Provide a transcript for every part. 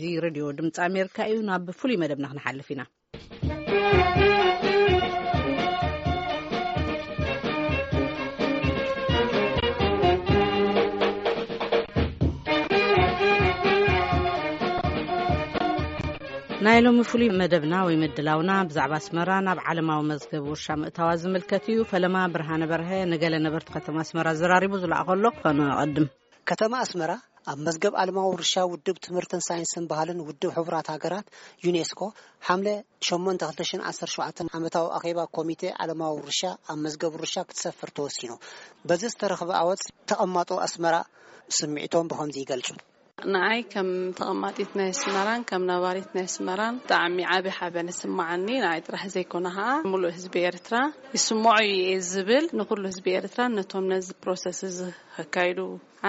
እዚ ሬድዮ ድምፂ ኣሜሪካ እዩ። ናብ ፍሉይ መደብና ክንሓልፍ ኢና። ናይ ሎሚ ፍሉይ መደብና ወይ ምድላውና ብዛዕባ ኣስመራ ናብ ዓለማዊ መዝገብ ውርሻ ምእታዋ ዝምልከት እዩ። ፈለማ ብርሃነ በርሀ ንገለ ነበርቲ ከተማ ኣስመራ ዘራሪቡ ዝለኣኸሎ ከነቐድም። ከተማ ኣስመራ ኣብ መዝገብ ዓለማዊ ውርሻ ውድብ ትምህርትን ሳይንስን ባህልን ውድብ ሕቡራት ሃገራት፣ ዩኔስኮ፣ ሓምለ ሸሞንተ ክልተ ሽሕን ዓሰርተ ሸውዓተን ዓመታዊ ኣኼባ ኮሚቴ ዓለማዊ ውርሻ ኣብ መዝገብ ውርሻ ክትሰፍር ተወሲኑ። በዚ ዝተረኽበ ኣወት ተቐማጦ ኣስመራ ስምዒቶም ብኸምዚ ይገልጹ። ንኣይ ከም ተቐማጢት ናይ ኣስመራን ከም ነባሪት ናይ ኣስመራን ብጣዕሚ ዓቢ ሓበን ይስምዓኒ። ንኣይ ጥራሕ ዘይኮነ ኸኣ ምሉእ ህዝቢ ኤርትራ ይስምዖ እዩ እየ ዝብል፣ ንኹሉ ህዝቢ ኤርትራ ነቶም ነዚ ፕሮሰስ እዚ ከካይዱ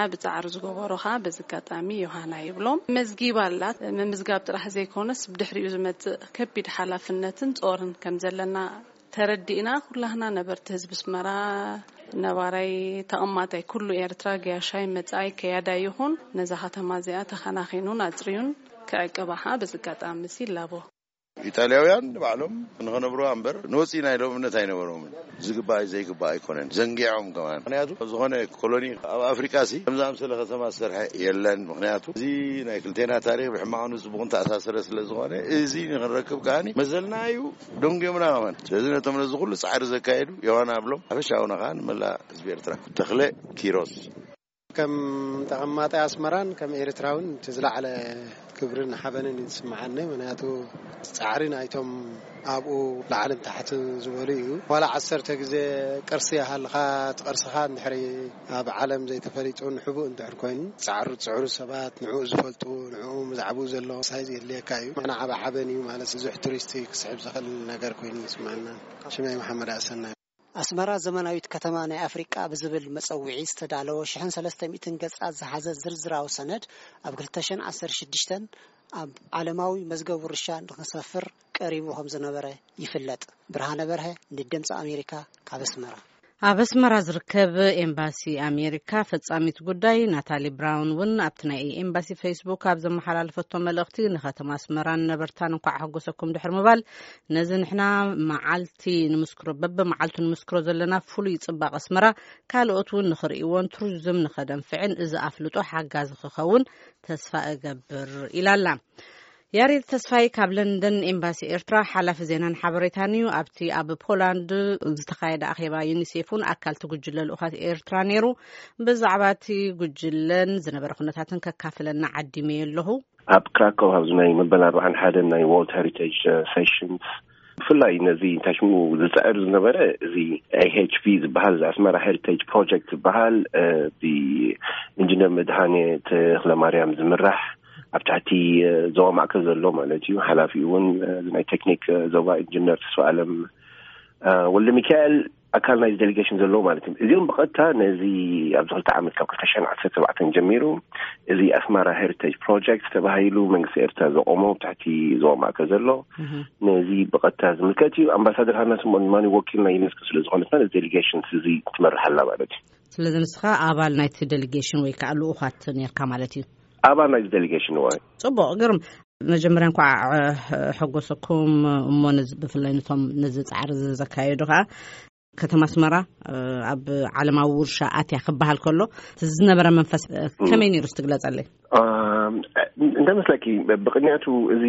ዓቢ ጻዕሪ ዝገበሩ ኸኣ በዚ ኣጋጣሚ ዮሃና ይብሎም። መዝጊብ ኣላት። ምምዝጋብ ጥራሕ ዘይኮነስ ብድሕሪኡ ዝመጽእ ከቢድ ሓላፍነትን ጾርን ከም ዘለና ተረዲእና፣ ኩላህና ነበርቲ ህዝቢ ኣስመራ፣ ነባራይ ተቐማጣይ ኩሉ ኤርትራ፣ ገያሻይ መጻኣይ ከያዳይ ይኹን፣ ነዛ ከተማ እዚኣ ተኸናኺኑን ኣጽርዩን ክዕቅባ ኸኣ በዚ ኣጋጣሚ እዚ ይላቦ። ኢጣልያውያን ንባዕሎም ንኸነብሩዋ እምበር ንወፂና ኢሎም እምነት ኣይነበሮምን። ዝግባእ ዘይግባእ ኣይኮነን፣ ዘንጊዖም ከማን። ምኽንያቱ ዝኾነ ኮሎኒ ኣብ ኣፍሪቃ ሲ ከምዚ ኣምሰለ ከተማ ዝሰርሐ የለን። ምኽንያቱ እዚ ናይ ክልቴና ታሪኽ ብሕማቕ ንጽቡቕ እንተኣሳሰረ ስለ ዝኾነ፣ እዚ ንኽንረክብ ከኣኒ መዘልና እዩ፣ ደንጉዮምና ከማን። ስለዚ ነቶም ነዚ ኩሉ ጻዕሪ ዘካየዱ ዮሃና ኣብሎም ሓፈሻውና ከኣ ንመላእ ህዝቢ ኤርትራ። ተኽለ ኪሮስ። ከም ተቐማጣይ ኣስመራን ከም ኤርትራውን እቲ ዝለዓለ ክብርን ሓበንን እዩ ዝስምዓኒ። ምኽንያቱ ጻዕሪ ናይቶም ኣብኡ ላዕልን ታሕትን ዝበሉ እዩ። ዋላ ዓሰርተ ግዜ ቅርሲ ይሃልኻ፣ እቲ ቅርስኻ እንድሕሪ ኣብ ዓለም ዘይተፈሊጡ ንሕቡእ እንድሕር ኮይኑ፣ ጻዕሩ ዝጽዕሩ ሰባት፣ ንዕኡ ዝፈልጡ፣ ንዕኡ ብዛዕባኡ ዘሎ ሳይዝ የድልየካ እዩ። ንዓና ዓቢ ሓበን እዩ ማለት፣ ብዙሕ ቱሪስት ክስሕብ ዝኽእል ነገር ኮይኑ ይስምዓና። ሽመይ መሓመድ ኣሰና። ኣስመራ ዘመናዊት ከተማ ናይ ኣፍሪቃ ብዝብል መጸውዒ ዝተዳለወ ሽሕን ሰለስተ ሚእትን ገጻት ዝሓዘ ዝርዝራዊ ሰነድ ኣብ ክልተ ሽሕን ዓሰርተ ሽዱሽተን ኣብ ዓለማዊ መዝገብ ውርሻ ንኽሰፍር ቀሪቡ ከም ዝነበረ ይፍለጥ። ብርሃነ በርሀ ንድምፂ ኣሜሪካ ካብ ኣስመራ። ኣብ ኣስመራ ዝርከብ ኤምባሲ ኣሜሪካ ፈጻሚት ጉዳይ ናታሊ ብራውን እውን ኣብቲ ናይ ኤምባሲ ፌስቡክ ኣብ ዘመሓላለፈቶ መልእኽቲ፣ ንከተማ ኣስመራን ነበርታን እንኳዕ ኣሐጎሰኩም ድሕሪ ምባል፣ ነዚ ንሕና መዓልቲ ንምስክሮ፣ በብመዓልቱ ንምስክሮ ዘለና ፍሉይ ጽባቐ ኣስመራ፣ ካልኦት እውን ንኽርእይዎን ቱሪዝም ንኸደንፍዕን እዚ ኣፍልጦ ሓጋዚ ክኸውን ተስፋ እገብር ኢላ ኣላ። ያሬድ ተስፋይ ካብ ለንደን ኤምባሲ ኤርትራ ሓላፊ ዜናን ሓበሬታን እዩ። ኣብቲ ኣብ ፖላንድ ዝተኻየደ ኣኼባ ዩኒሴፍ እውን ኣካል እቲ ጉጅለ ልኡኻት ኤርትራ ነይሩ። ብዛዕባ እቲ ጉጅለን ዝነበረ ኩነታትን ከካፍለና ዓዲመዮ ኣለኹ። ኣብ ክራኮው ኣብዚ ናይ መበል ኣርባዓን ሓደን ናይ ወርልድ ሄሪቴጅ ሴሽንስ ብፍላይ ነዚ እንታይ ሽሙ ዝፅዕር ዝነበረ እዚ ኤ ኤች ፒ ዝበሃል፣ እዚ ኣስመራ ሄሪቴጅ ፕሮጀክት ዝበሃል፣ እ፣ ብኢንጂነር መድሃኔ ተኽለማርያም ዝምራሕ፣ ኣብ ትሕቲ፣ እ፣ ዞባ ማእከል ዘሎ ማለት እዩ። ሓላፊኡ እውን፣ እ፣ እዚ ናይ ቴክኒክ፣ እ፣ ዞባ ኢንጂነር ተስፋ ኣለም፣ እ፣ ወልደ ሚካኤል ኣካል ናይዚ ዴሊጌሽን ዘለዎ ማለት እዩ። እዚኦም ብቐጥታ ነዚ ኣብዚ ክልተ ዓመት ካብ ክልተ ሽሕን ዓሰርተ ኣርባዕተን ጀሚሩ እዚ ኣስመራ ሄሪቴጅ ፕሮጀክት ተባሂሉ መንግስቲ ኤርትራ ዘቆሞ ኣብ ትሕቲ ዞባ ማእከል ዘሎ፣ እህ። ነዚ ብቐጥታ ዝምልከት እዩ። ኣምባሳደር ሃና ስምኦን ድማ ወኪል ናይ ዩኔስኮ ስለ ዝኾነት ነዚ ዴሊጌሽን እዚ ትመርሕ ኣላ ማለት እዩ። ስለዚ ንስኻ ኣባል ናይቲ ዴሊጌሽን ወይ ከዓ ልኡኻት ነርካ ማለት እዩ? ኣባል ናይዚ ዴሊጌሽን እዋ። ጽቡቕ፣ ግርም። መጀመርያ እንኳዕ፣ እ፣ ሕጎሰኩም እሞ ነዚ፣ ብፍላይ ነቶም ነዚ ጻዕሪ ዘካየዱ ከዓ፣ ከተማ ኣስመራ፣ እ፣ ኣብ ዓለማዊ ውርሻ ኣትያ ክበሃል ከሎ፣ እቲ ዝነበረ መንፈስ፣ እ፣ ከመይ ነይሩ? እስቲ ግለጸለይ። ኣም፣ እንደ መስለኪ፣ ብቕንያቱ እዚ፣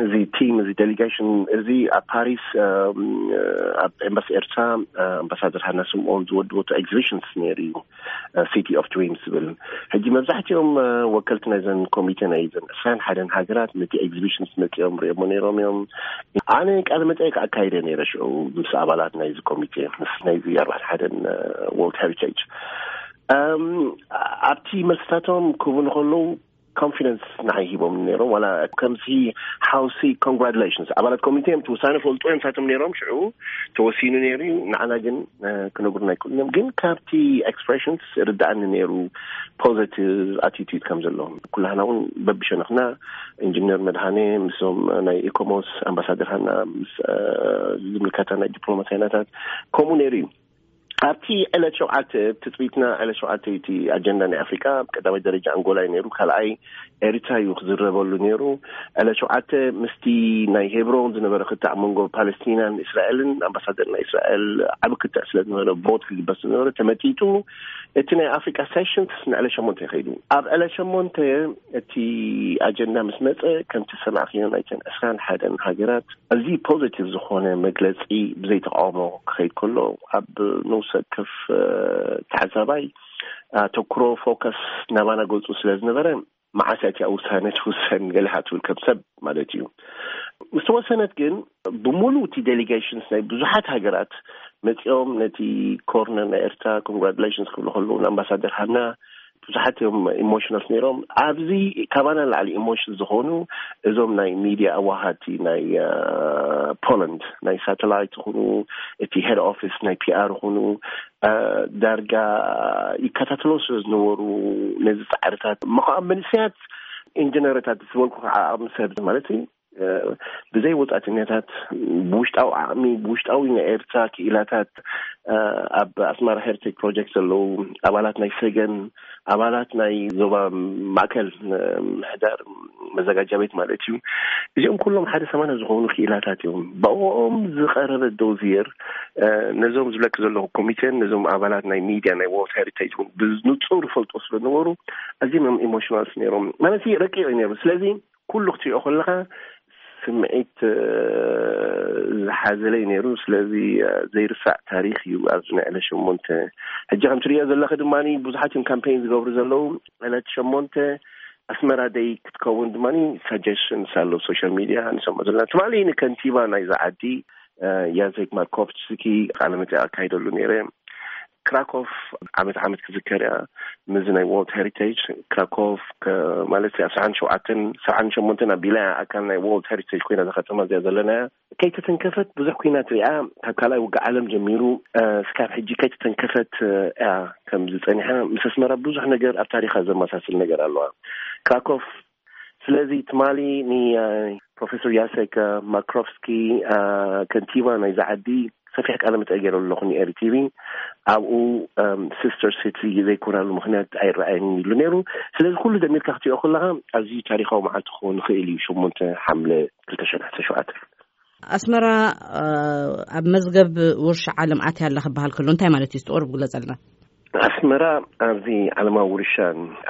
እዚ ቲም፣ እዚ ዴሊጌሽን፣ እዚ ኣብ ፓሪስ፣ ኣም፣ ኣብ ኤምባሲ ኤርትራ፣ ኣምባሳደር ሃና ስምኦን ዝወድበቶ ኤግዚቢሽንስ ነይሩ እዩ። ሲቲ ኦፍ ድሪምስ ዝብል። ሕጂ መብዛሕትኦም፣ እ፣ ወከልቲ ናይዘን ኮሚቴ ናይዘን ዕስራን ሓደን ሃገራት ነቲ ኤግዚቢሽንስ መጺኦም ሪኦሞ ነይሮም እዮም። ኣነ ቃለ መጠይቅ ኣካይደ ነይረ ሽዑ ምስ ኣባላት ናይዚ ኮሚቴ፣ ምስ ናይዚ ኣርባዕተ ሓደን፣ እ፣ ወርልድ ሄሪቴጅ። እም፣ ኣብቲ መልስታቶም ክህቡኒ ከለዉ ኮንፊደንስ ንዓይ ሂቦም ነይሮም። ዋላ ከምዚ ሃውሲ ኮንግራቱሌሽንስ፣ ኣባላት ኮሚቴ እዮም፣ እቲ ውሳነ ፈልጡ እዮም ንሳቶም ነይሮም። ሽዑ ተወሲኑ ነይሩ እዩ፣ ንዓና ግን፣ እ፣ ክነግሩና ኣይክእሉን እዮም። ግን ካብቲ ኤክስፕሬሽንስ ርድኣኒ ነይሩ ፖዘቲቭ ኣቲቱድ ከም ዘለዎም። ኩላህና እውን በብሸነኽና ኢንጂነር መድሃኔ ምስዞም ናይ ኢኮሞስ ኣምባሳደር ሃና ምስ፣ እ፣ ዝምልከታ ናይ ዲፕሎማስያናታት ከምኡ ነይሩ እዩ። ኣብቲ ዕለት ሸውዓተ ትፅቢትና፣ ዕለት ሸውዓተ እቲ ኣጀንዳ ናይ ኣፍሪቃ ቀዳማይ ደረጃ ኣንጎላ እዩ ነይሩ። ካልኣይ ኤርትራ እዩ ክዝረበሉ ነይሩ። ዕለት ሸውዓተ ምስቲ ናይ ሄብሮን ዝነበረ ክትዕ መንጎ ፓለስቲናን እስራኤልን፣ ኣምባሳደር ናይ እስራኤል ዓቢ ክትዕ ስለ ዝነበረ፣ ቦት ክግበር ስለ ዝነበረ ተመጢጡ። እቲ ናይ ኣፍሪቃ ሴሽን ንዕለት ሸሞንተ ይኸይዱ። ኣብ ዕለት ሸሞንተ እቲ ኣጀንዳ ምስ መጸ፣ ከምቲ ሰማዕክዮ፣ ናይተን ዕስራን ሓደን ሃገራት እዚ ፖዚቲቭ ዝኾነ መግለጺ ብዘይተቃውሞ ክኸይድ ከሎ፣ ኣብ ንውሰ ከፍ ተዓዛባይ ኣተኩሮ፣ ፎከስ ናባና ገጹ ስለ ዝነበረ፣ መዓስ እያ እቲኣ ውሳነ ትውሰን ገሊኻ ትብል ከም ሰብ ማለት እዩ። ምስ ተወሰነት ግን፣ ብምሉእ እቲ ዴሊጌሽንስ ናይ ብዙሓት ሃገራት መጺኦም ነቲ ኮርነር ናይ ኤርትራ ኮንግራቱሌሽንስ ክብሉ ከለዉ፣ ንኣምባሳደር ሃና ብዙሓት እዮም ኢሞሽናል ነይሮም። ኣብዚ ካባና ንላዕሊ ኢሞሽን ዝኾኑ እዞም ናይ ሚድያ ኣዋሃድቲ ናይ ፖላንድ፣ ናይ ሳተላይት ይኹኑ፣ እቲ ሄድ ኦፊስ ናይ ፒኣር ይኹኑ፣ ዳርጋ ይከታተሎ ስለ ዝነበሩ፣ ነዚ ጻዕርታት መኸዓ መንእሰያት ኢንጂነርታት ዝበልኩ ከዓ ዓቕሚ ሰብ ማለት እዩ፣ ብዘይ ወጻእተኛታት፣ ብውሽጣዊ ዓቕሚ፣ ብውሽጣዊ ናይ ኤርትራ ክኢላታት፣ ኣብ ኣስመራ ሄሪቴጅ ፕሮጀክት ዘለዉ ኣባላት ናይ ሰገን፣ ኣባላት ናይ ዞባ ማእከል ምሕዳር መዘጋጃ ቤት ማለት እዩ። እዚኦም ኩሎም ሓደ ሰማንያ ዝኾኑ ክኢላታት እዮም። ብኦም ዝቐረበ ዶዚየር፣ ነዞም ዝብለክ ዘለኹ ኮሚቴን ነዞም ኣባላት ናይ ሚድያ ናይ ወርልድ ሄሪቴጅ እውን ብንጹር ይፈልጦ ስለ ዝነበሩ፣ ኣዝዮም እዮም ኢሞሽናልስ ነይሮም። ማለት ረቂቕ እዩ ነይሩ። ስለዚ ኩሉ ክትሪኦ ከለኻ ስምዒት ዝሓዘለ እዩ ነይሩ። ስለዚ ዘይርሳዕ ታሪኽ እዩ ኣብዚ ናይ ዕለት ሸሞንተ። ሕጂ ከም ትሪኦ ዘለኺ ድማ ብዙሓት እዮም ካምፔን ዝገብሩ ዘለዉ። ዕለት ሸሞንተ ኣስመራ ደይ ክትከውን ድማ ሳጀሽንስ ኣሎ ሶሻል ሚድያ ንሰምዖ ዘለና። ትማሊ ንከንቲባ ናይዛ ዓዲ ያዘክ ማርኮቭስኪ ቃለ መጠይቕ ኣካይደሉ ነይረ። ክራኮፍ ዓመት ዓመት ክዝከር እያ። ምዚ ናይ ወርልድ ሄሪቴጅ ክራኮፍ ከ-፣ ማለት ኣብ ሰብዓን ሸውዓተን፣ ሰብዓን ሸሞንተን ኣቢላ እያ ኣካል ናይ ወርልድ ሄሪቴጅ ኮይና እዛ ከተማ እዚኣ ዘለና እያ። ከይተተንከፈት ብዙሕ ኩናት ሪኣ፣ ካብ ካልኣይ ውግእ ዓለም ጀሚሩ፣ እ፣ እስካብ ሕጂ ከይተተንከፈት፣ እ፣ እያ ከምዚ ጸኒሓ። ምስ ኣስመራ ብዙሕ ነገር ኣብ ታሪኻ ዘመሳስል ነገር ኣለዋ ክራኮፍ። ስለዚ ትማሊ ን-፣ ፕሮፌሰር ያሴክ ማክሮቭስኪ፣ አ፣ ከንቲባ ናይዛ ዓዲ፣ ሰፊሕ ቃለ መጠይቅ ገይረ ኣለኹ ን-ኤሪ ቲቪ። ኣብኡ፣ እም፣ ሲስተር ሲቲ ዘይኮናሉ ምኽንያት ኣይረኣየን ኢሉ ነይሩ። ስለዚ ኩሉ ደሚርካ ክትሪኦ ከለኻ ኣዝዩ ታሪኻዊ መዓልቲ ክኸውን ይኽእል እዩ፣ ሸሞንተ ሓምለ ክልተ ሽሕን ዓሰርተ ሸውዓተ። ኣስመራ፣ አ፣ ኣብ መዝገብ ውርሻ ዓለም ኣትያ ኣላ ክበሃል ከሎ እንታይ ማለት እዩ? እስቲ ቁሩብ ግለጸልና። ኣስመራ ኣብዚ ዓለማዊ ውርሻ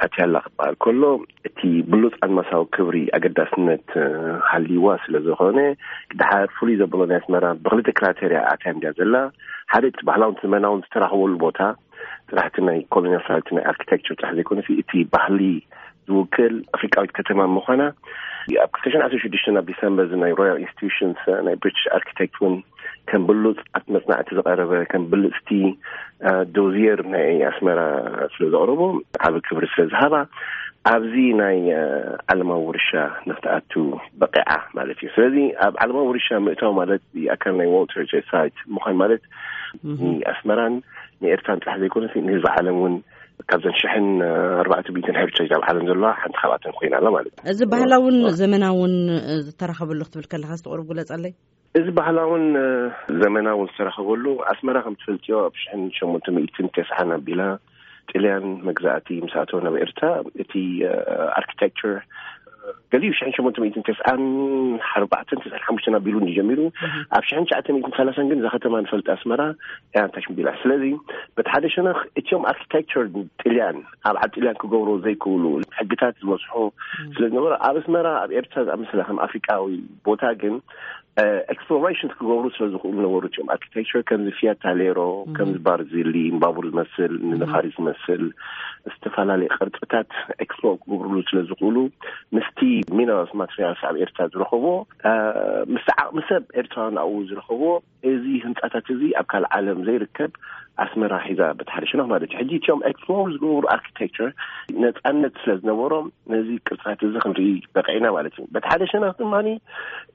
ኣትያ ኣላ ክበሃል ከሎ፣ እቲ ብሉጽ ኣድማሳዊ ክብሪ ኣገዳስነት፣ እ፣ ሃልይዋ ስለ ዝኾነ፣ ድሓር ፍሉይ ዘብሎ ናይ ኣስመራ ብኽልተ ክራይቴርያ ኣትያ እንድያ ዘላ። ሓደ እቲ ባህላውን ዘመናውን ዝተራኸበሉ ቦታ፣ ስራሕቲ ናይ ኮሎኒያል ስራሕቲ ናይ ኣርኪቴክቸር ጥራሕ ዘይኮነሲ፣ እቲ ባህሊ ዝውክል ኣፍሪቃዊት ከተማ ምዃና፣ ኣብ ክልተ ሽሕን ዓሰርተ ሽዱሽተ ኣብ ዲሰምበር እዚ ናይ ሮያል ኢንስቲትዩሽንስ ናይ ብሪቲሽ ኣርኪቴክት እውን ከም ብሉጻት መጽናዕቲ ዝቐረበ፣ ከም ብልጽቲ፣ እ፣ ዶዝየር ናይ ኣስመራ ስለ ዘቕረቦ፣ ዓቢ ክብሪ ስለ ዝሃባ፣ ኣብዚ ናይ፣ እ፣ ዓለማዊ ውርሻ ንክትኣቱ በቂዓ ማለት እዩ። ስለዚ ኣብ ዓለማዊ ውርሻ ምእታው ማለት ኣካል ናይ ወርልድ ሄሪቴጅ ሳይት ምዃን ማለት፣ እህ፣ ንኣስመራን ንኤርትራን ጥራሕ ዘይኮነስ ንህዝቢ ዓለም እውን ካብዘን ሽሕን ኣርባዕተ ሚእትን ሄሪቴጅ ኣብ ዓለም ዘለዋ ሓንቲ ካብኣተን ኮይና ኣላ ማለት እዩ። እዚ ባህላውን ዋ። ዘመናውን፣ እ፣ ዝተራኸበሉ ክትብል ከለኻ እስቲ ቁሩብ ግለጸለይ። እዚ ባህላውን፣ እ፣ ዘመናውን ዝተራኸበሉ፣ ኣስመራ ከም ትፈልጥዮ ኣብ ሽሕን ሸሞንተ ሚእትን ተስዓን ኣቢላ ጥልያን መግዛእቲ ምስ ኣተወ ናብ ኤርትራ፣ እቲ፣ እ፣ ኣርኪቴክቸር፣ እ፣ ገሊኡ ሽሕን ሸሞንተ ሚእትን ተስዓን ኣርባዕተን ተስዓን ሓሙሽተን ኣቢሉ እንዲ ጀሚሩ፣ እህ። ኣብ ሽሕን ትሽዓተ ሚእትን ሰላሳን ግን እዛ ከተማ ንፈልጣ ኣስመራ እያ እንታይ ሽምቢላ። ስለዚ በቲ ሓደ ሸነኽ እቲኦም ኣርኪቴክቸር ጥልያን ኣብ ዓዲ ጥልያን ክገብሩ ዘይክእሉ ሕግታት ዝበዝሑ እህ። ስለ ዝነበሩ፣ ኣብ ኣስመራ፣ ኣብ ኤርትራ ዝኣመሰለ ከም ኣፍሪቃዊ ቦታ ግን፣ እ፣ ኤክስፕሎሬሽን ክገብሩ ስለ ዝኽእሉ ነበሩ። እቲኦም ኣርኪቴክቸር ከምዚ ፊያት ታሌሮ፣ እም። ከምዚ ባርዚሊ፣ ንባቡር ዝመስል፣ እም። ንነፋሪት ዝመስል፣ ዝተፈላለዩ ቅርጽታት ኤክስፕሎር ክገብርሉ ስለ ዝኽእሉ፣ ምስቲ ሚነራልስ ማቴሪያልስ ኣብ ኤርትራ ዝረኸቦ፣ እ፣ ምስቲ ዓቕሚ ሰብ ኤርትራውያን ኣብኡ ዝረኸቦ፣ እዚ ህንጻታት እዚ ኣብ ካልእ ዓለም ዘይርከብ ኣስመራ ሒዛ በቲ ሓደ ሸነኽ ማለት እዩ። ሕጂ እቲኦም ኤክስፕሎር ዝገብሩ ኣርኪቴክቸር ነጻነት ስለ ዝነበሮም ነዚ ቅርጽታት እዚ ክንርኢ በቂዕና ማለት እዩ። በቲ ሓደ ሸነኽ ድማ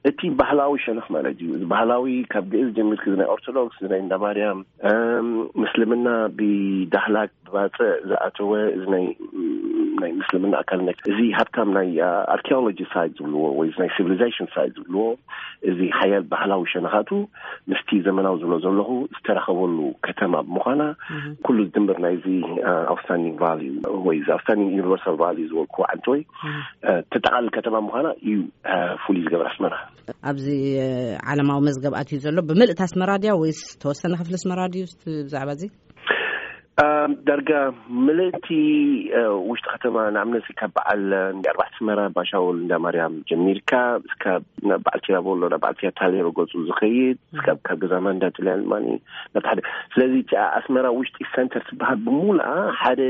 እቲ ባህላዊ ሸነኽ ማለት እዩ። እዚ ባህላዊ ካብ ግእዝ ጀሚርክ እዚ ናይ ኦርቶዶክስ፣ እዚ ናይ እንዳ ማርያም፣ እም፣ ምስልምና ብዳህላክ ብባጽዕ ዝኣተወ እዚ ናይ፣ እም፣ ናይ ምስልምና ኣካል፣ ናይ እዚ ሃብታም ናይ ኣርኪኦሎጂ ሳይት ዝብልዎ ወይ ናይ ሲቪሊዜሽን ሳይት ዝብልዎ፣ እዚ ሓያል ባህላዊ ሸነኻቱ ምስቲ ዘመናዊ ዝብሎ ዘለኹ ዝተረኸበሉ ከተማ ብምዃና፣ ኩሉ ዝድምር ናይዚ ኣውትስታንዲንግ ቫልዩ ወይ ኣውትስታንዲንግ ዩኒቨርሳል ቫልዩ ዝበልኩዎ ዓንተወይ ተጠቓልል ከተማ ምዃና እዩ ፍሉይ ዝገብር ኣስመራ። ኣብዚ ዓለማዊ መዝገብ ኣትዩ ዘሎ ብምልእቲ ኣስመራ ድያ ወይስ ተወሰነ ክፍሊ ኣስመራ ድዩ? ብዛዕባ እዚ ዳርጋ ምልእቲ ውሽጢ ከተማ፣ ንኣብነት ካብ በዓል ኣርባዕተ ኣስመራ፣ ባሻውል እንዳ ማርያም ጀሚርካ እስካብ ናብ በዓል ቲራቦሎ፣ ናብ በዓል ቲያታሌ ረገጹ ዝኸይድ፣ እስካብ ካብ ገዛ ማንዳ ጥልያን ማኒ ናብ ሓደ። ስለዚ እቲ ኣስመራ ውሽጢ ሰንተር ትበሃል ብሙሉኣ ሓደ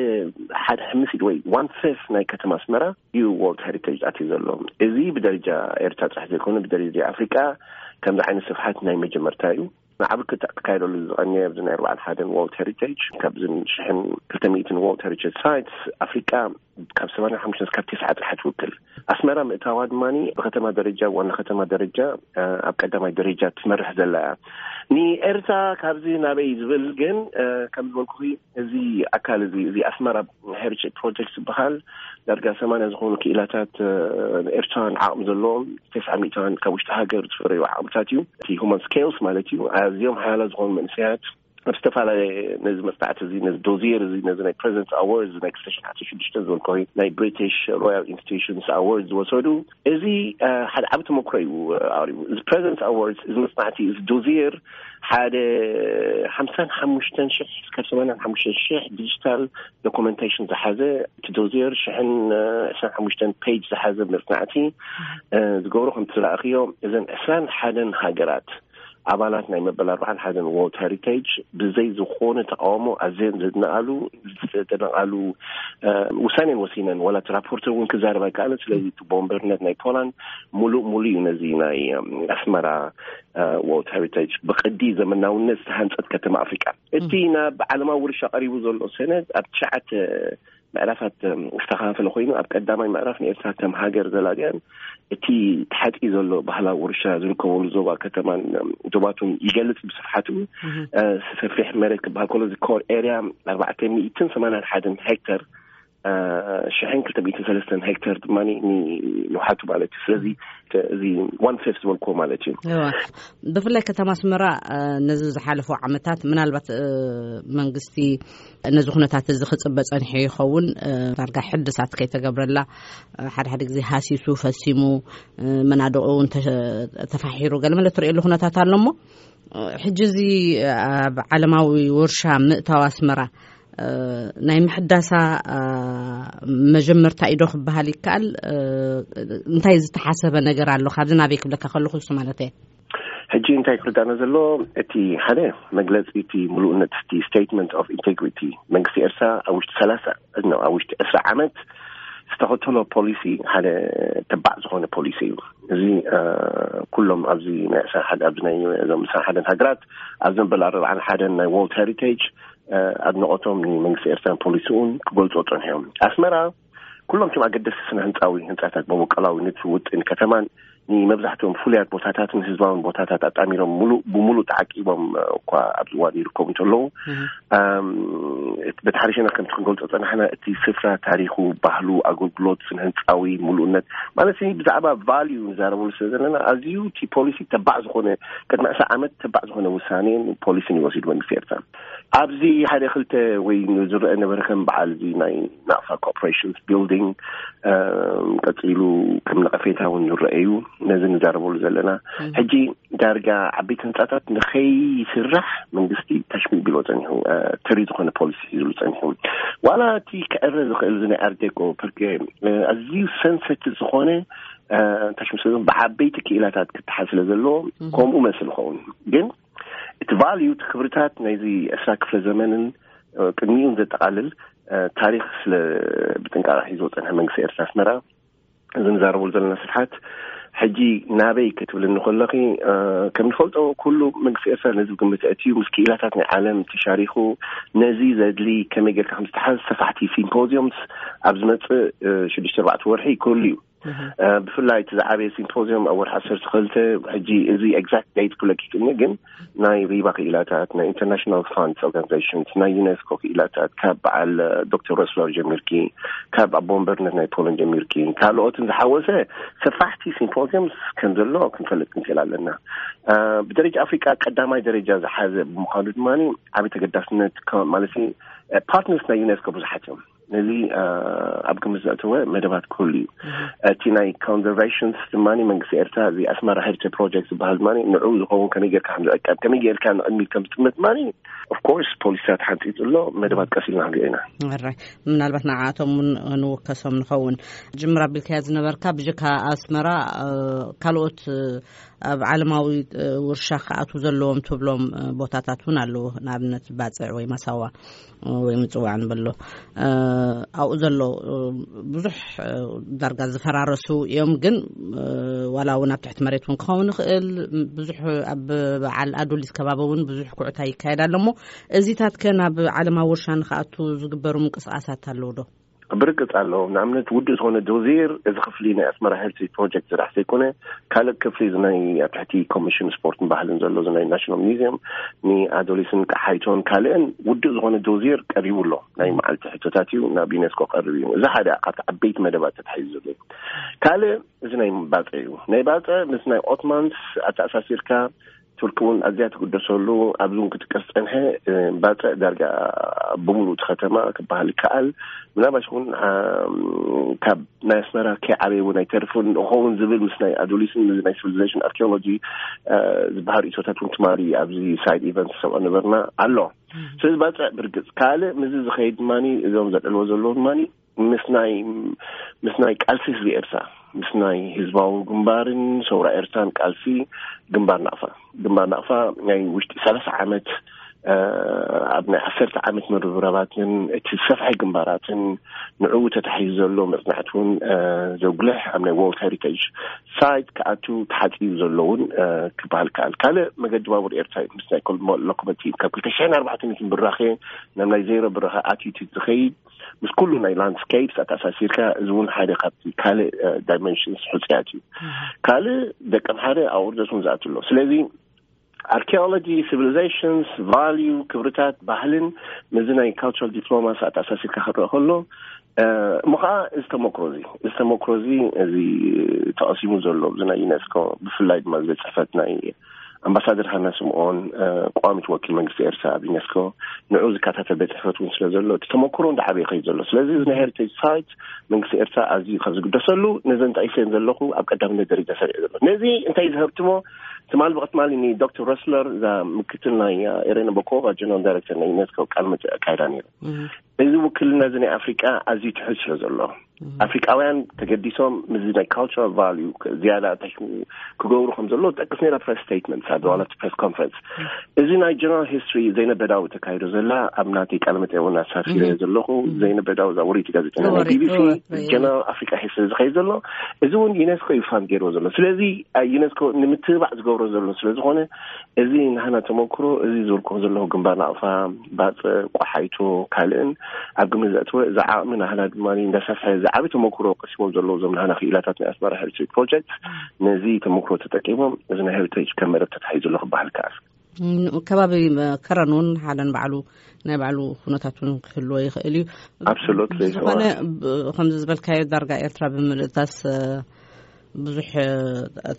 ሓደ ሕምሲት ወይ ዋን ፌፍ ናይ ከተማ ኣስመራ እዩ ወርልድ ሄሪቴጅ ኣትዩ ዘሎ። እዚ ብደረጃ ኤርትራ ጥራሕ ዘይኮነ፣ ብደረጃ ኣፍሪቃ ከምዚ ዓይነት ስፍሓት ናይ መጀመርታ እዩ። ንዓቢ ክካየደሉ ዝቐንየ ኣብዚ ናይ ኣርባዓን ሓደን ወርልድ ሄሪቴጅ፣ ካብዚ ሽሕን ክልተ ሚእትን ወርልድ ሄሪቴጅ ሳይትስ ኣፍሪቃ ካብ ሰማንያ ሓሙሽተ እስካብ ተስዓ ጥራሕ ትውክል። ኣስመራ ምእታዋ ድማ ብከተማ ደረጃ፣ ዋና ከተማ ደረጃ ኣብ ቀዳማይ ደረጃ ትመርሕ ዘላ እያ። ንኤርትራ ካብዚ ናበይ ዝብል ግን ከም ዝበልኩ እዚ ኣካል እዚ እዚ ኣስመራ ሄሪቴጅ ፕሮጀክት ዝበሃል ዳርጋ ሰማንያ ዝኾኑ ክኢላታት ኤርትራን ዓቕሚ ዘለዎም ተስዓ ሚእታን ካብ ውሽጢ ሃገር ዝፈረዩ ዓቕምታት እዩ። እቲ ሁማን ስኬልስ ማለት እዩ። ኣዝዮም ሓያላ ዝኾኑ መንእሰያት ኣብ ዝተፈላለየ ነዚ መጽናዕቲ እዚ፣ ነዚ ዶዚየር እዚ፣ ነዚ ናይ ፕሬዚደንትስ ኣዋርድ እዚ ናይ ክልተ ሽሕን ዓሰርተ ሽዱሽተ ዝበልኮ ናይ ብሪቲሽ ሮያል ኢንስቲትዩሽንስ ኣዋርድ ዝወሰዱ፣ እዚ ሓደ ዓቢ ተመክሮ እዩ ኣቕሪቡ። እዚ ፕሬዚደንትስ ኣዋርድ፣ እዚ መጽናዕቲ፣ እዚ ዶዚየር ሓደ ሓምሳን ሓሙሽተን ሽሕ እስካብ ሰማንያን ሓሙሽተን ሽሕ ዲጂታል ዶኩመንቴሽን ዝሓዘ፣ እቲ ዶዚየር ሽሕን ዕስራን ሓሙሽተን ፔጅ ዝሓዘ መጽናዕቲ ዝገብሮ። ከምቲ ዝረኣኽዮ፣ እዘን ዕስራን ሓደን ሃገራት ኣባላት ናይ መበል ኣርባዓን ሓደን ወርልድ ሄሪቴጅ ብዘይ ዝኾነ ተቃውሞ ኣዝየን ዘድነቓሉ፣ ዝተደነቓሉ ውሳኔን ወሲነን። ዋላ እቲ ራፖርተር እውን ክዛረብ ኣይከኣለን። ስለዚ እቲ ቦምበርነት ናይ ፖላንድ ሙሉእ ሙሉእ እዩ ነዚ ናይ ኣስመራ ወርልድ ሄሪቴጅ ብቅዲ ዘመናውነት ዝተሃንጸት ከተማ ኣፍሪቃ። እቲ ናብ ዓለማዊ ውርሻ ቀሪቡ ዘሎ ሰነድ ኣብ ትሽዓተ ምዕራፋት ዝተኸፋፈለ ኮይኑ፣ ኣብ ቀዳማይ ምዕራፍ ንኤርትራ ከም ሃገር ዘላልያን እቲ ተሓጺ ዘሎ ባህላዊ ውርሻ ዝርከበሉ ዞባ ከተማን ዶባቱን ይገልጽ ብስፍሓቱ። ሰፊሕ መሬት ክበሃል ከሎ፣ እዚ ኮር ኤርያ ኣርባዕተ ሚእትን ሰማንያን ሓደን ሄክተር ሽሕን ክልተ ሚእትን ሰለስተን ሄክተር ድማ ንውሓቱ ማለት እዩ። ስለዚ እዚ ዋን ፌፍ ዝበልክዎ ማለት እዩ። ብፍላይ ከተማ ኣስመራ ነዚ ዝሓለፉ ዓመታት ምናልባት መንግስቲ ነዚ ኩነታት እዚ ክጽበ ጸኒሑ ይኸውን። ዳርጋ ሕድሳት ከይተገብረላ፣ ሓደ ሓደ ግዜ ሃሲሱ ፈሲሙ፣ መናድቑ እውን ተፋሒሩ ገለመለ ትርእየሉ ኩነታት ኣሎ። እሞ ሕጂ እዚ ኣብ ዓለማዊ ውርሻ ምእታው ኣስመራ ናይ ምሕዳሳ መጀመርታ ኢዶ ክበሃል ይከኣል? እንታይ ዝተሓሰበ ነገር ኣሎ? ካብዚ ናበይ ክብለካ ከለኹ እሱ ማለት እየ። ሕጂ እንታይ ክርዳእና ዘሎ፣ እቲ ሓደ መግለጺ፣ እቲ ምሉእነት፣ እቲ ስቴትመንት ኦፍ ኢንቴግሪቲ መንግስቲ ኤርትራ ኣብ ውሽጢ ሰላሳ፣ ኣብ ውሽጢ ዕስራ ዓመት ዝተኸተሎ ፖሊሲ ሓደ ተባዕ ዝኾነ ፖሊሲ እዩ። እዚ ኩሎም ኣብዚ ናይ ዕስራ ሓደ፣ ኣብዚ ናይ እዞም ዕስራ ሓደን ሃገራት፣ ኣብዚ መበል ኣርባዓን ሓደን ናይ ወርልድ ሄሪቴጅ ኣድነቆቶም ንመንግስቲ ኤርትራን ፖሊሲኡን ክገልጹ ጸኒሖም። ኣስመራ ኩሎም እቶም ኣገደስቲ ስነ ህንጻዊ ህንጻታት፣ መበቆላዊ ንድፊ ውጥን ከተማን ንመብዛሕትኦም ፍሉያት ቦታታትን ህዝባውን ቦታታት ኣጣሚሮም፣ ሙሉእ ብሙሉእ ተዓቂቦም እኳ ኣብዚ እዋን ይርከቡ እንተለዉ፣ በቲ ሓደ ሸነኽ ከምቲ ክንገልጾ ጸናሕና፣ እቲ ስፍራ ታሪኹ፣ ባህሉ፣ ኣገልግሎት፣ ስነ ህንጻዊ ሙሉእነት ማለት ብዛዕባ ቫልዩ ንዛረበሉ ስለ ዘለና፣ ኣዝዩ እቲ ፖሊሲ ተባዕ ዝኾነ፣ ቅድሚ ዕስራ ዓመት ተባዕ ዝኾነ ውሳኔን ፖሊሲን ይወሲድ መንግስቲ ኤርትራ። ኣብዚ ሓደ ክልተ ወይ ዝረአ ነበረ፣ ከም በዓል እዚ ናይ ናቕፋ ኮርፖሬሽንስ ቢልዲንግ፣ ቀጺሉ ከም ነቐፌታ እውን ዝረአዩ፣ ነዚ ንዛረበሉ ዘለና። ሕጂ ዳርጋ ዓበይቲ ህንጻታት ንኸይስራሕ መንግስቲ ታሽሚቢሎ ጸኒሑ፣ ተሪ ዝኾነ ፖሊሲ ሒዝሉ ጸኒሑ። ዋላ እቲ ክዕረ ዝኽእል እዚ ናይ ኣርዴኮ ፐርኬ ኣዝዩ ሰንሰቲቭ ዝኾነ ታሽሚቢሎ ብዓበይቲ ክኢላታት ክተሓዝ ስለ ዘለዎ ከምኡ መስል ይኸውን። ግን እቲ ቫልዩ፣ እቲ ክብርታት ናይዚ ዕስራ ክፍለ ዘመንን ቅድሚኡን ዘጠቓልል ታሪኽ ስለ ብጥንቃቐ ሒዝዎ ጸንሐ መንግስቲ ኤርትራ ኣስመራ፣ እዚ ንዛረበሉ ዘለና ስፍሓት ሕጂ ናበይ ክትብል እንከለኺ፣ ከም ንፈልጦ ኩሉ መንግስቲ ኤርትራ ነዚ ግምት ኣእትዩ ምስ ክኢላታት ናይ ዓለም ተሻሪኹ፣ ነዚ ዘድሊ ከመይ ጌርካ ከም ዝተሓዝ ሰፋሕቲ ሲምፖዚዮምስ ኣብ ዝመጽእ ሽዱሽተ ኣርባዕተ ወርሒ ክህሉ እዩ። ብፍላይ እቲ ዝዓበየ ሲምፖዚየም ኣብ ወርሒ ዓሰርተ ክልተ። ሕጂ እዚ ኤግዛክት ዴት ክለኪክኒ፣ ግን ናይ ሪባ ክኢላታት፣ ናይ ኢንተርናሽናል ፋንድስ ኦርጋናይዜሽንስ፣ ናይ ዩኔስኮ ክኢላታት፣ ካብ በዓል ዶክተር ረስለር ጀሚርኪ፣ ካብ ኣቦ ወንበርነት ናይ ፖለንድ ጀሚርኪ፣ ካልኦትን ዝሓወሰ ሰፋሕቲ ሲምፖዚየምስ ከም ዘሎ ክንፈልጥ ክንክእል ኣለና። ብደረጃ ኣፍሪቃ ቀዳማይ ደረጃ ዝሓዘ ብምዃኑ ድማ ዓብዪ ተገዳስነት ማለት ፓርትነርስ ናይ ዩኔስኮ ብዙሓት እዮም። ነዚ ኣብ ግምት ዘእተወ መደባት ክህሉ እዩ። እቲ ናይ ኮንዘርቬሽንስ ድማ መንግስቲ ኤርትራ እዚ ኣስመራ ሄሪቴጅ ፕሮጀክት ዝበሃል ድማ ንዑ ዝኸውን ከመይ ጌርካ ከም ዝዕቀብ፣ ከመይ ጌርካ ንቕድሚት ከም ዝጥምት ድማ ኦፍኮርስ ፖሊሲታት ሓንፂፅ ኣሎ። መደባት ቀስ ኢልና ክንሪኦ ኢና። ራይ ምናልባት ንዓኣቶም እውን ንወከሶም ንኸውን። ጅምር ኣቢልካያ ዝነበርካ ብጀካ ኣስመራ ካልኦት ኣብ ዓለማዊ ውርሻ ክኣትዉ ዘለዎም ትብሎም ቦታታት እውን ኣለዉ። ንኣብነት ባፅዕ ወይ ማሳዋ ወይ ምፅዋዕ ንበሎ ኣብኡ ዘሎ ብዙሕ ዳርጋ ዝፈራረሱ እዮም። ግን ዋላ እውን ኣብ ትሕቲ መሬት እውን ክኸውን ይኽእል። ብዙሕ ኣብ በዓል ኣዱሊስ ከባቢ እውን ብዙሕ ኩዕታ ይካየድ ኣሎ። እሞ እዚታት ከ ናብ ዓለማዊ ውርሻ ንክኣቱ ዝግበሩ ምንቅስቃሳት ኣለዉ ዶ? ብርግፅ ኣለዎም። ንኣብነት ውድእ ዝኾነ ዶዜር እዚ ክፍሊ ናይ ኣስመራ ሄሪቴጅ ፕሮጀክት ዝራሕ ዘይኮነ ካልእ ክፍሊ እዚ ናይ ኣብ ትሕቲ ኮሚሽን ስፖርትን ባህልን ዘሎ እዚ ናይ ናሽናል ሚዚየም ንኣዶሊስን ቀሓይቶን ካልእን ውድእ ዝኾነ ዶዜር ቀሪቡ ኣሎ። ናይ መዓልቲ ሕቶታት እዩ ናብ ዩኔስኮ ቀሪቡ እዩ። እዚ ሓደ ካብቲ ዓበይቲ መደባት ተታሒዙ ዘሎ እዩ። ካልእ እዚ ናይ ባፀ እዩ። ናይ ባፀ ምስ ናይ ኦትማንስ ኣተኣሳሲርካ ቱርኪ እውን ኣዝያ ትግደሰሉ ኣብዚ እውን ክጥቀስ ፀንሐ። ባፀ ዳርጋ ብምሉእ እቲ ከተማ ክበሃል ይከኣል። ምናባሽ እውን ካብ ናይ ኣስመራ ከይዓበየ እውን ኣይተርፍን ንኸውን ዝብል ምስ ናይ ኣዶሊስን ምስ ናይ ሲቪሊዜሽን ኣርኪኦሎጂ ዝበሃል ሪሶታት እውን ትማሊ ኣብዚ ሳይድ ኢቨንት ሰብኦ ነበርና ኣሎ። ስለዚ ባፅዕ ብርግፅ ካልእ ምስዚ ዝኸይድ ድማ እዞም ዘልዕልዎ ዘለዉ ድማ ምስ ናይ ምስ ናይ ቃልሲ ህዝቢ ኤርትራ ምስ ናይ ህዝባዊ ግንባርን ሰውራ ኤርትራን ቃልሲ ግንባር ናቕፋ ግንባር ናቕፋ ናይ ውሽጢ ሰላሳ ዓመት ኣብ ናይ ዓሰርተ ዓመት ምርብራባትን እቲ ሰፍሐ ግንባራትን ንዕኡ ተታሒዙ ዘሎ መፅናዕቲ እውን ዘጉልሕ ኣብ ናይ ወርልድ ሄሪቴጅ ሳይት ክኣቱ ተሓፂቡ ዘሎ እውን ክበሃል ከኣል። ካልእ መገዲ ባቡር ኤርትራ እዩ። ምስ ናይ ኮል- ሎኮሞቲቭ ካብ ክልተ ሽሕን ኣርባዕተ ሚእትን ብራኸ ናብ ናይ ዜሮ ብራኸ ኣትዩ ዝኸይድ ምስ ኩሉ ናይ ላንድስኬፕስ ኣተኣሳሲርካ እዚ እውን ሓደ ካብቲ ካልእ ዳይመንሽንስ ሕፅያት እዩ። ካልእ ደቀም ሓደ ኣብ ውርደት እውን ዝኣቱ ኣሎ። ስለዚ ኣርኪኦሎጂ፣ ሲቪሊዜሽንስ፣ ቫልዩ፣ ክብርታት፣ ባህልን ምስዚ ናይ ካልቸራል ዲፕሎማሲ ኣተኣሳሲርካ ክረአ ከሎ እሞ ከዓ እዚ ተመክሮ እዚ እዚ ተመክሮ እዚ እዚ ተቐሲሙ ዘሎ እዚ ናይ ዩኔስኮ ብፍላይ ድማ እዚ ቤት ፅሕፈት ናይ ኣምባሳደር ሃና ስምኦን ቀዋሚት ወኪል መንግስቲ ኤርትራ ኣብ ዩኔስኮ ንዑ ዝከታተል ቤት ፅሕፈት እውን ስለ ዘሎ እቲ ተመክሮ እንዳዓበየ ይኸይድ ዘሎ። ስለዚ እዚ ናይ ሄሪቴጅ ሳይት መንግስቲ ኤርትራ ኣዝዩ ካብ ዝግደሰሉ ነዘን ጠቂሰን ዘለኹ ኣብ ቀዳምነት ደረጃ ሰሪዑ ዘሎ። ነዚ እንታይ ዝህብትሞ ትማሊ ብቅትማሊ ንዶክተር ረስለር እዛ ምክትል ናይ ኤሬና ቦኮቫ ጀነራል ዳይሬክተር ናይ ዩኔስኮ ቃል መጠ ኣካይዳ ነይሩ። እዚ ውክልና እዚ ናይ ኣፍሪቃ ኣዝዩ ትሕት ስለ ዘሎ ኣፍሪቃውያን ተገዲሶም ምስዚ ናይ ካልቸራል ቫልዩ ዝያዳ እንታይ ክገብሩ ከም ዘለዎ ጠቅስ ነራ ፕሬስ ስቴትመንት ኣደዋላ ፕሬስ ኮንፈረንስ እዚ ናይ ጀነራል ሂስትሪ ዘይነበዳዊ ተካሂዶ ዘላ ኣብ ናተይ ቃለ መጠይቅ እውን ኣሳፊረ ዘለኹ። ዘይነበዳዊ እዛ ወሪቲ ጋዜጠኛ ናይ ቢቢሲ ጀነራል ኣፍሪካ ሂስትሪ ዝኸይድ ዘሎ እዚ እውን ዩኔስኮ እዩ ፋንድ ገይርዎ ዘሎ። ስለዚ ዩኔስኮ ንምትብባዕ ዝገብሮ ዘሎ ስለዝኾነ እዚ ናህና ተመክሮ እዚ ዝብልኮ ዘለኹ ግንባር ናቕፋ ባፀ ቆሓይቶ ካልእን ኣብ ግምት ዘእተወ እዚ ዓቕሚ ናህና ድማ እንዳሰፍሐ ዝዓቢ ተመክሮ ቀሲሞም ዘለዉ እዞም ናህና ክኢላታት ናይ ኣስመራ ሄሪቴጅ ፕሮጀክት ነዚ ተመክሮ ተጠቂሞም እዚ ናይ ሄሪቴጅ ከም መደብ ተታሒዙ ኣሎ ክበሃል ይከኣል። ከባቢ ከረን እውን ሓደን ባዕሉ ናይ ባዕሉ ኩነታት እውን ክህልዎ ይኽእል እዩ። ኣብሶሉትሊ ዝኾነ ከምዚ ዝበልካዮ ዳርጋ ኤርትራ ብምልእታስ ብዙሕ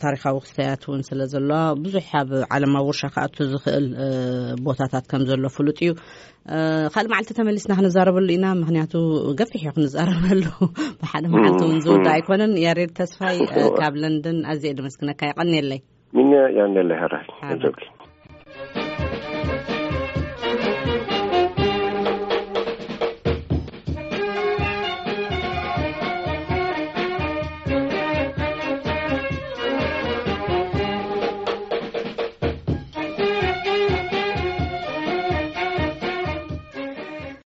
ታሪካዊ ክስተያት እውን ስለ ዘሎ ብዙሕ ኣብ ዓለማዊ ውርሻ ክኣቱ ዝኽእል ቦታታት ከም ዘሎ ፍሉጥ እዩ። ካልእ መዓልቲ ተመሊስና ክንዛረበሉ ኢና፣ ምክንያቱ ገፊሕ እዩ ክንዛረበሉ። ብሓደ መዓልቲ እውን ዝውዳእ ኣይኮነን። ያሬድ ተስፋይ ካብ ለንደን ኣዝየ ድመስግነካ፣ ይቀንየለይ። ሚኛ ያንደለ ሀራይ